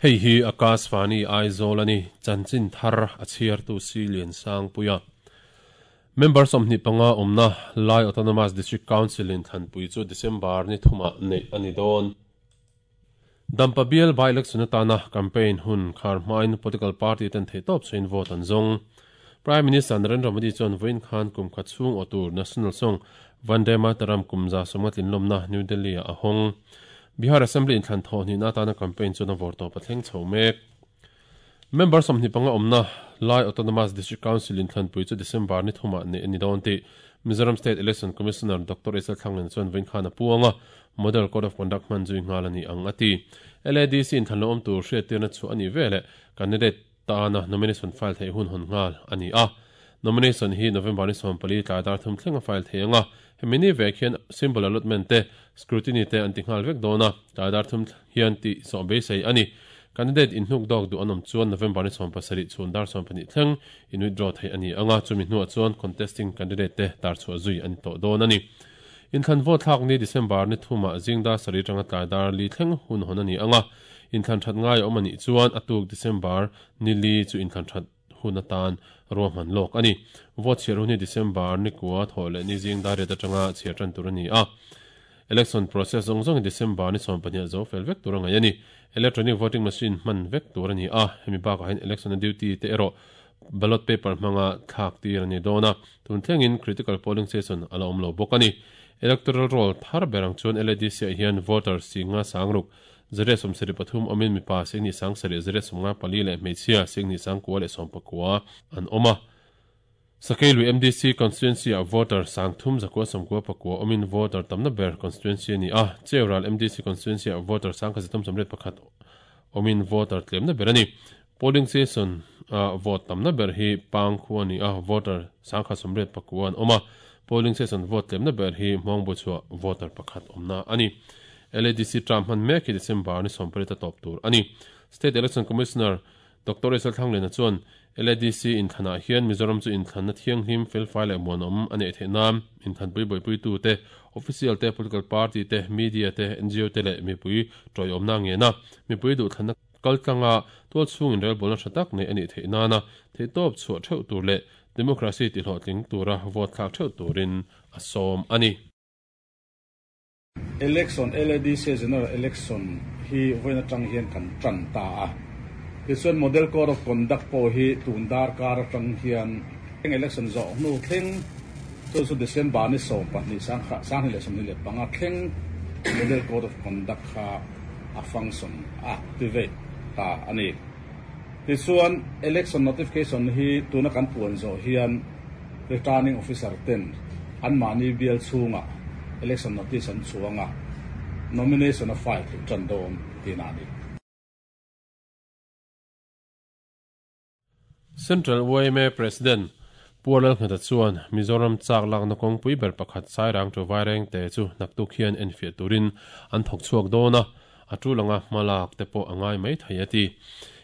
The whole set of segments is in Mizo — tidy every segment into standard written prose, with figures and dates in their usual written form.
Hei hi Akashvani Aizawl a ni, chanchin thar a chhiartu si Liansangpuia. Member 25 awmna Lai Autonomous District Council in thlanpui chu December ni thumah neih a ni dawn. Dampa bial by-election atana campaign hun khar hmain political party ten theihtawp chhuahin vote an zawng. Prime Minister Narendra Modi chuan vawiin khan kum khat chhung aw tur National Song Vande Mataram kum 150 tlinlawmna New Delhi-ah a hawng. Bihar Assembly inthlan thawh hnihna atana campaign chuan a vawr tawp a thleng chho mek. Member 25 awmna Lai Autonomous District Council inthlanpui chu December ni thumah neih a ni dawn tih Mizoram State Election Commissioner Doctor Isel Thlanglen chuan vawiin khan a puang a, Model Code of Conduct hman zui nghal a ni ang a ti. LADC inthlan lo awm tur hriattirna chu a nih veleh candidate tana nomination file theih hun hawn nghal a ni a. Nomination hi November ni 14 tlai dar thum thleng a file thei ang a, hemi ni vek hian symbol allotment te, scrutiny te an ti nghal vek dawn a, tlai dar thum hian tih zawh beisei a ni. Candidate inhnuk dawk duh an awm chuan November ni 17 chhun dar 12 thleng in withdraw theih a ni ang a, chumi hnuah chuan contesting candidate te tar chhuah zui a ni tawh dawn a ni. Inthlan vote thlak ni December ni thumah zing dar sarih atanga tlai dar li thleng hun hawn a ni ang a, inthlan that ngai a awm a nih chuan a tuk December ni li chu inthlan that hun atan ruahman lawk a ni. Vote chhiar hun hi December ni kua thawh leh ni zing dar riat atanga chhiar tan tur a ni a. Election process zawng zawng hi December ni 12 zo fel vek tur a ngaih a ni. Electronic voting machine hman vek tur a ni a, hemi bakah hian election a duty te erawh ballot paper hmanga thlak tir a ni dawn a, tun thlengin critical polling station a la awm lo bawk a ni. Electoral roll thar ber ang chuan LADC ah hian voter singa sangruk 173 awmin mipa singni 7 154 leh hmeichhia singni 919 an awm a. Sakeilui MDC constituency ah voter 3199 awmin voter tamna ber constituency a ni a, Cheural MDC constituency ah voter 1381 awmin voter tlemna ber a ni. Polling station ah vote tamna ber hi Pang khua a ni a, voter 1089 an awm a, polling station vote tlemna ber hi Hmawngbuchhuah voter pakhat awmna a ni. LADC term hman mek hi December ni 18 a tawp tur a ni. State Election Commissioner Doctor Isel Thlanglena chuan LADC inthlanah hian Mizoram chu inthlanna thianghlim, felfai leh muanawm a neih theih nan inthlanpui buaipuitu te, official te, political party te, media te, ngo te leh mipui tawiawmna ngen a, mipui duhthlanna kaltlanga tualchhung inrelbawlna tha tak neih a nih theih nana theihtawp chhuah theuh tur leh democracy tihlawhtling tura vote thlak theuh turin a sawm a ni. Election, LADC General Election hi vawiin atang hian kan tan ta a. Tichuan Model Code of Conduct pawh hi tun darkar atang hian election zawh hnu thleng chu chu December ni 12 2025 thleng Model Code of Conduct kha a function activate ta a ni. Tichuan Election Notification hi tuna kan puan zawh hian Returning Officer ten anmahni bial chhungah election notice an chuang a, nomination a file theih tan dawn tihna a ni. Central yma President Pu Lalngheta chuan Mizoram chak lakna kawngpui ber pakhat Sairang to Vairengte chu naktuk hian enfiah turin an thawk chhuak dawn a, a tul anga hma lak te pawh a ngai mai thei a ti.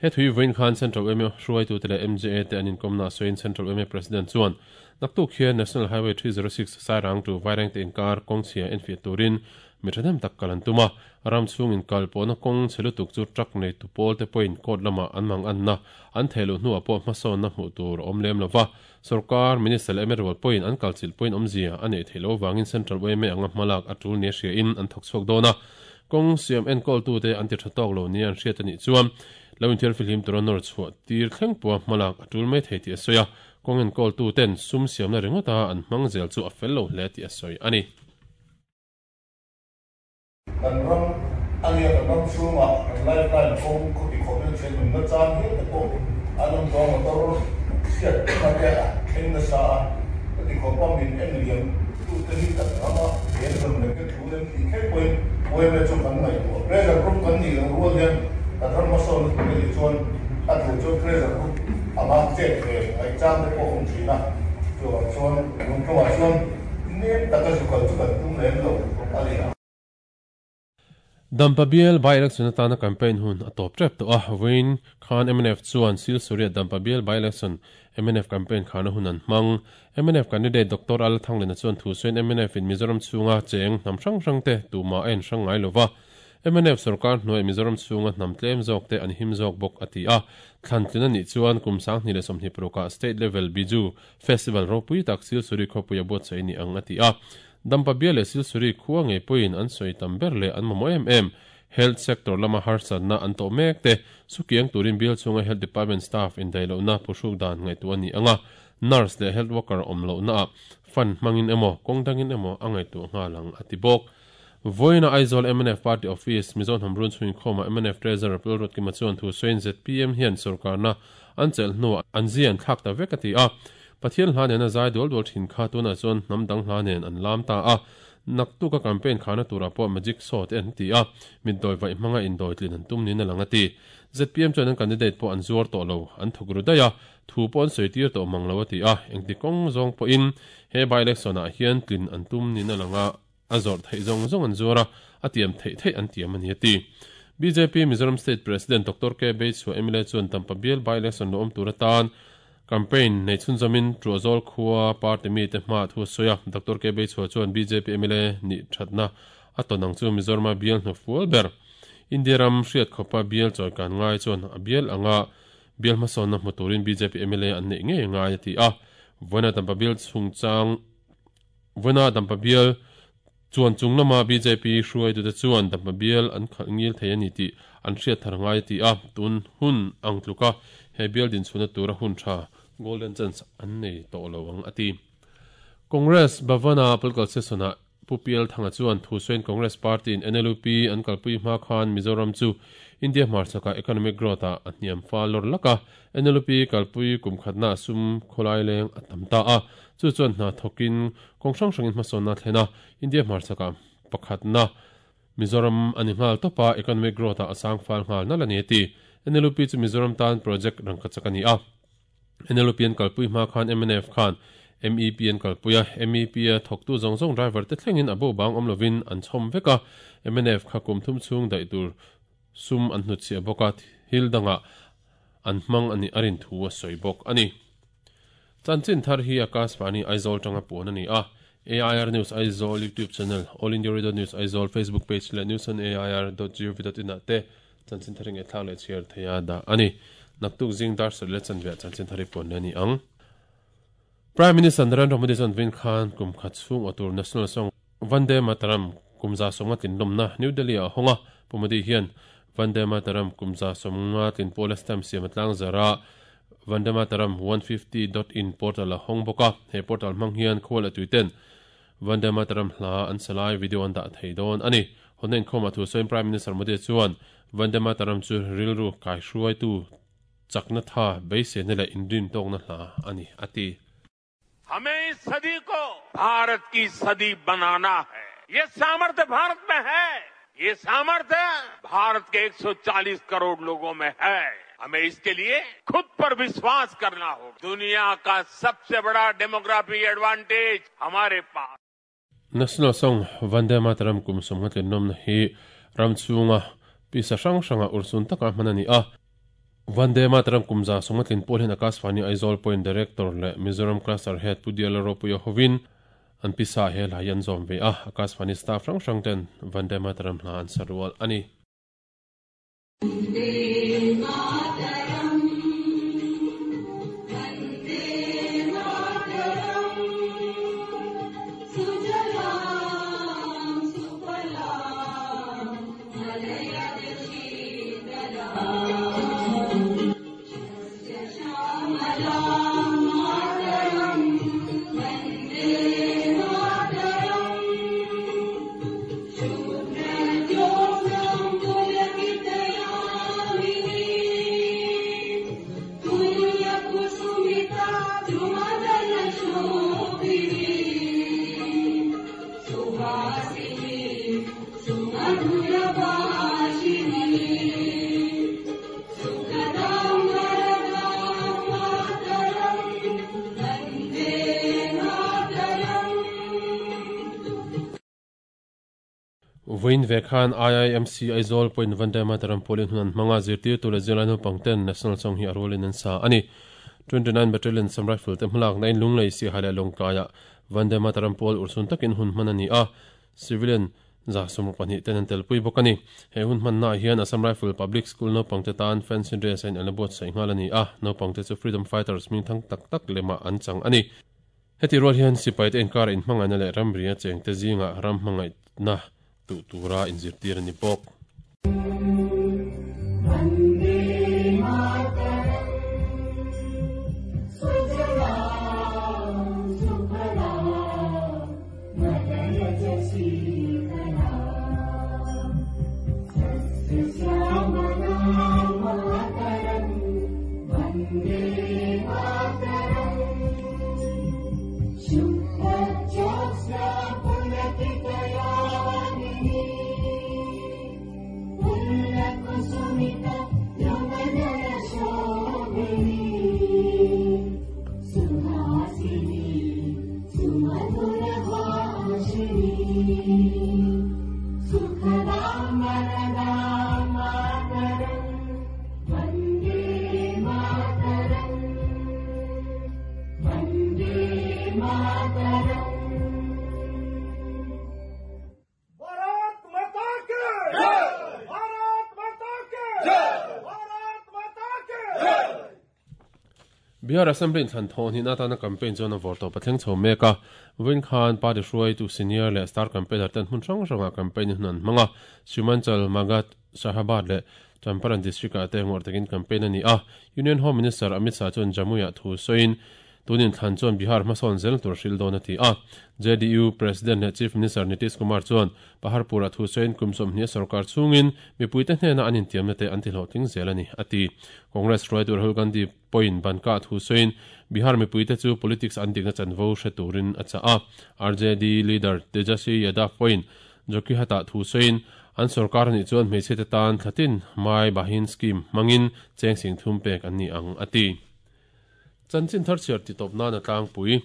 He thui vawiin khan Central yma hruaitute leh MJA te an inkawmna a sawiin Central yma President chuan naktuk hian National Highway 306 Sairang to Vairengte inkar kawngchhia enfiah turin mi thahnem tak kal an tum a, ram chhung inkal pawhna kawng chhe lutuk chu truck neitu pawl te pawhin court lamah an mang anna an theh luh hnuah pawh hmasawnna hmuh tur a awm lem lova, sorkar minister leh mla rual pawhin an kalchilh pawhin awmzia a neih theih loh avangin Central yma anga hmalak a tul nia hriain an thawk chhuak dawn a, kawng siam enkawltute an ti tha tawk lo nia an hriat a nih chuan lo inthiar fihlim tura nawr chhuah tir thleng pawha hmalak a tul mai thei tih a sawi a, kawng enkawltuten sum siamna ringawta an hmang zel chu a fel lo hle tih a sawi a ni. Kan ram a nia, kan ram chhungah kan lifeline kawng khawti khawpin thian nunna chang hial te pawh an awm tawh a, motor chhiat na te a thleng nasa a, khawti khawpa min en liam tute hi kan rama he rawn leh te thu lem tih thleng pawhin yma chu kan ngaihtuah. Pressure group kan nih loh rual hian kan ram hmasawnna tur a nih chuan a duh chuan pressure group anga chet ve ngaihchang te pawh a awm thin a, chuvang chuan lungtlawmah chuan Nem taka zu kal chu kan tum lem lo a ni. Dampa bial by-election atana campaign hun a tawp tep tawh a, vawiin khan mnf chuan Silsuria Dampa bial by-election mnf campaign kharna hun an hmang. Mnf candidate Doctor Al Thanglena chuan thu sawiin mnf in Mizoram chhunga cheng hnam hrang hrang te tumah a en hrang ngai lova. Mnf sorkar hnuaiah Mizoram chhunga hnam tlem zawk te an him zawk bawk a ti a. Thlan tlin a nih chuan kum 2026 ah State Level Biju Festival ropui tak Silsuri khawpuia buatsaih ni ang a ti a. Dampa bial leh Silsuri khua ngei pawhin an sawi tam ber leh an mamawh em em Health sector lama harsatna an tawh mek te sukiang turin bial chhunga Health Department staff indaihlohna phuhruk dan ngaihtuah a ni ang a. Nurse leh Health worker awm lohnaah fund hmangin emaw kawng dangin emaw a ngaihtuah nghal ang a ti bawk. Vawiina Aizawl mnf Party Office, Mizo hnam run chhuin khawmah mnf Treasurer Pu Lalruatkima chuan thu sawiin zpm hian sorkarna an chelh hnuah an zia an thlak ta vek a ti a. Pathian hla nena zai dual dual thin kha tunah chuan hnam dang hla nen an lam ta a. Naktuka campaign khana turah pawh magic show te an ti a, mitdawi vaih hmanga indawi tlin an tum niin a lang a ti. Zpm chuan an candidate pawh an zuar tawh lo, an thuk ru daih a, thu pawh an sawi tir tawh mang lo a ti a, engti kawng zawng pawhin he by-election ah hian tlin an tum niin a lang a. A zawrh theih zawng zawng an zuar a, a tiam theih theih an tiam a ni a ti. Bjp Mizoram State President Doctor K. Beichhua mla chuan Tampa bial by-election lo awm tur atan campaign nei chhunzawmin Tuahzawl khua party mite hmaah thu a sawi a. Doctor K. Beichhua chuan bjp mla nih thatna a tawn ang chu Mizorama bial hnufual ber India ram hriat khawpa bial chawikan ngai chuan a bial anga bial hmasawnna hmu turin bjp mla an neih ngei ngai a ti a. Vawiina Tampa bial chungchang Vawiina Dampa bial chuan chung lama bjp hruaitute chuan Dampa bial an khalh ngil thei a ni tih an hriat thar ngai a ti a, tun hun ang tluka he bial dinchhuahna tura hun tha, golden chance, an nei tawh lo ang a ti. Congress Bhavan-a political session-ah Pu PL Thanga chuan thu sawiin Congress Party-in NLUP an kalpui hma khan Mizoram chu India hmarchhakah economic growth-ah a hniam fal lawr lak a, NLUP kalpui kum khatnaah sum khawlai leng a tam ta a, chu chuan hna thawkin kawng hrang hrangin hmasawnna a thlen a, India hmarchhakah pakhatna Mizoram a ni nghal tawp a, economic growth-ah a sang fal nghal nalh a ni a ti. NLUP chu Mizoram tan project rangkachak a ni a. NLUP an kalpui hma khan mnf khan MEP an kalpui a, MEP a thawktu zawng zawng driver te thlengin a bo bang awm lovin an chhawm vek a, mnf kha kum thum chhung daih tur sum an hnutchhiah bawk a, thil dangah an hmang a nih a rin thu a sawi bawk a ni. Chanchin thar hi Akashvani Aizawl tanga puan a ni a, AIR News Aizawl YouTube channel, All India Radio News Aizawl Facebook page leh newsonair.gov.in ah te Chanchin thar i ngaihthlak leh chhiar thei a dah a ni. Naktuk zing dar sarih leh chanve ah chanchin thar i puan leh a ni ang. Prime Minister Narendra Modi chuan vin khan kum khat chhung aw tur National Song Vande Mataram kum 150 tlinlawmna New Delhi ah a hawng a. Pu Modi hian Vande Mataram kum 150 tlin pawla stamp siam a tlang zar a, Vande Mataram 150 dot in portal a hawng bawk a. He portal hmang hian khua leh tui ten Vande Mataram hla an sa lai video an dah thei dawn a ni. Hawnna inkhawmah thu sawiin Prime Minister Modi chuan Vande Mataram chu rilru kaihruaitu chakna tha beiseina leh inrintawkna hla a ni, a ti. Hame is sadi ko Bharat ki sadi banana hai. Ye samarthya Bharat mein hai. Ye samarthya Bharat ke 140 crore logon mein hai. Hame iske liye khud par vishwas karna hoga. Duniya ka sabse bada demography advantage hamare paas. National Song Vande Mataram kum 50 tlinawmna hi ram chhunga pisa hrang hranga urhsun taka hman a ni a. Vande Mataram kum 150 tlin pawl hian Akashvani Aizawl Point Director leh Mizoram Cluster Head Pu Diala Ropuia hovin an pisa he hla hi an zawm ve a, Akashvani staff hrang hrang ten Vande Mataram hla an sa rual a ni. Vawiin ve khan IIMC Aizawl pawhin Vande Mataram pawlin hun an hmang a, zirtirtu leh zirlai naupang ten National Song hi a rualin an sa a ni. 29 Battalion Assam Rifle te hmalakna in Lunglei, Siaha leh Lawngtlaiah Vande Mataram pawl urhsun takin hun hman a ni a, Civilian. 62 ten an telpui bawk a ni. He hun hmannaah hian Assam Rifle Public School naupangte tan fancy dress a in an la buatsaih nghal a ni a, naupangte chu Freedom Fighters hmingthang tak tak lemah an chang a ni. Heti rual hian sipaite inkara inhmangaihna leh ramria chengte zingah ram hmangaihna tuh tura inzirtir a ni bawk. Bihar Assembly inthlan thawh hnihna atana campaign chuan a vawr tawp a thleng chho mek a. Vawiin khan party hruaitu senior leh star campaigner ten hmun hrang hrangah campaign hun an hmang a. Simanchal, Magadh, Shahabad leh Champaran district ah te ngawrh takin campaign a ni a. Union Home Minister Amit Shah chuan Jamui-ah thu sawiin, Tun inthlan chuan Bihar hmasawn zel tur hril dawn a ti a. JDU President leh Chief Minister Nitish Kumar chuan Paharpur-ah thu sawiin kum 20 sorkar chhungin mipuite hnena an intiamna te an ti hlawhtling zel a ni, a ti. Congress hruaitu Rahul Gandhi pawhin Banka-ah thu sawiin Bihar mipuite chu politics an dikna chanvo hre turin a chah a. RJD leader Tejaswi Yadav pawhin Jokihat-ah thu sawiin an sorkar anih chuan hmeichhiate tan thlatin Mai Bahin scheme hmangin cheng sing thum pek an ni ang, a ti. Chanchin thar chhiar ti tawp nan a tlangpui.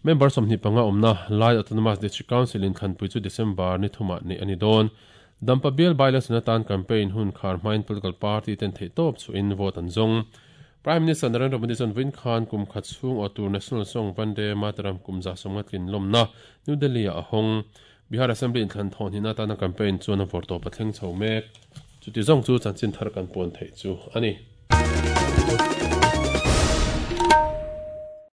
Member 25 awmna Lai Autonomous District Council in thlanpui chu December ni thumah neih a ni dawn. Dampa bial by-election atan campaign hun khar hmain political party ten theihtawp chhuahin vote an zawng. Prime Minister Narendra Modi chuan vawiin khan kum khat chhung aw tur National Song Vande Mataram kum 150 tlin lawmna New Delhi-ah a hawng. Bihar Assembly inthlan thawh hnihna atana campaign chuan a vawrtawp a thleng chho mek. Chuti zawng chu chanchin thar kan puan theih chu a ni.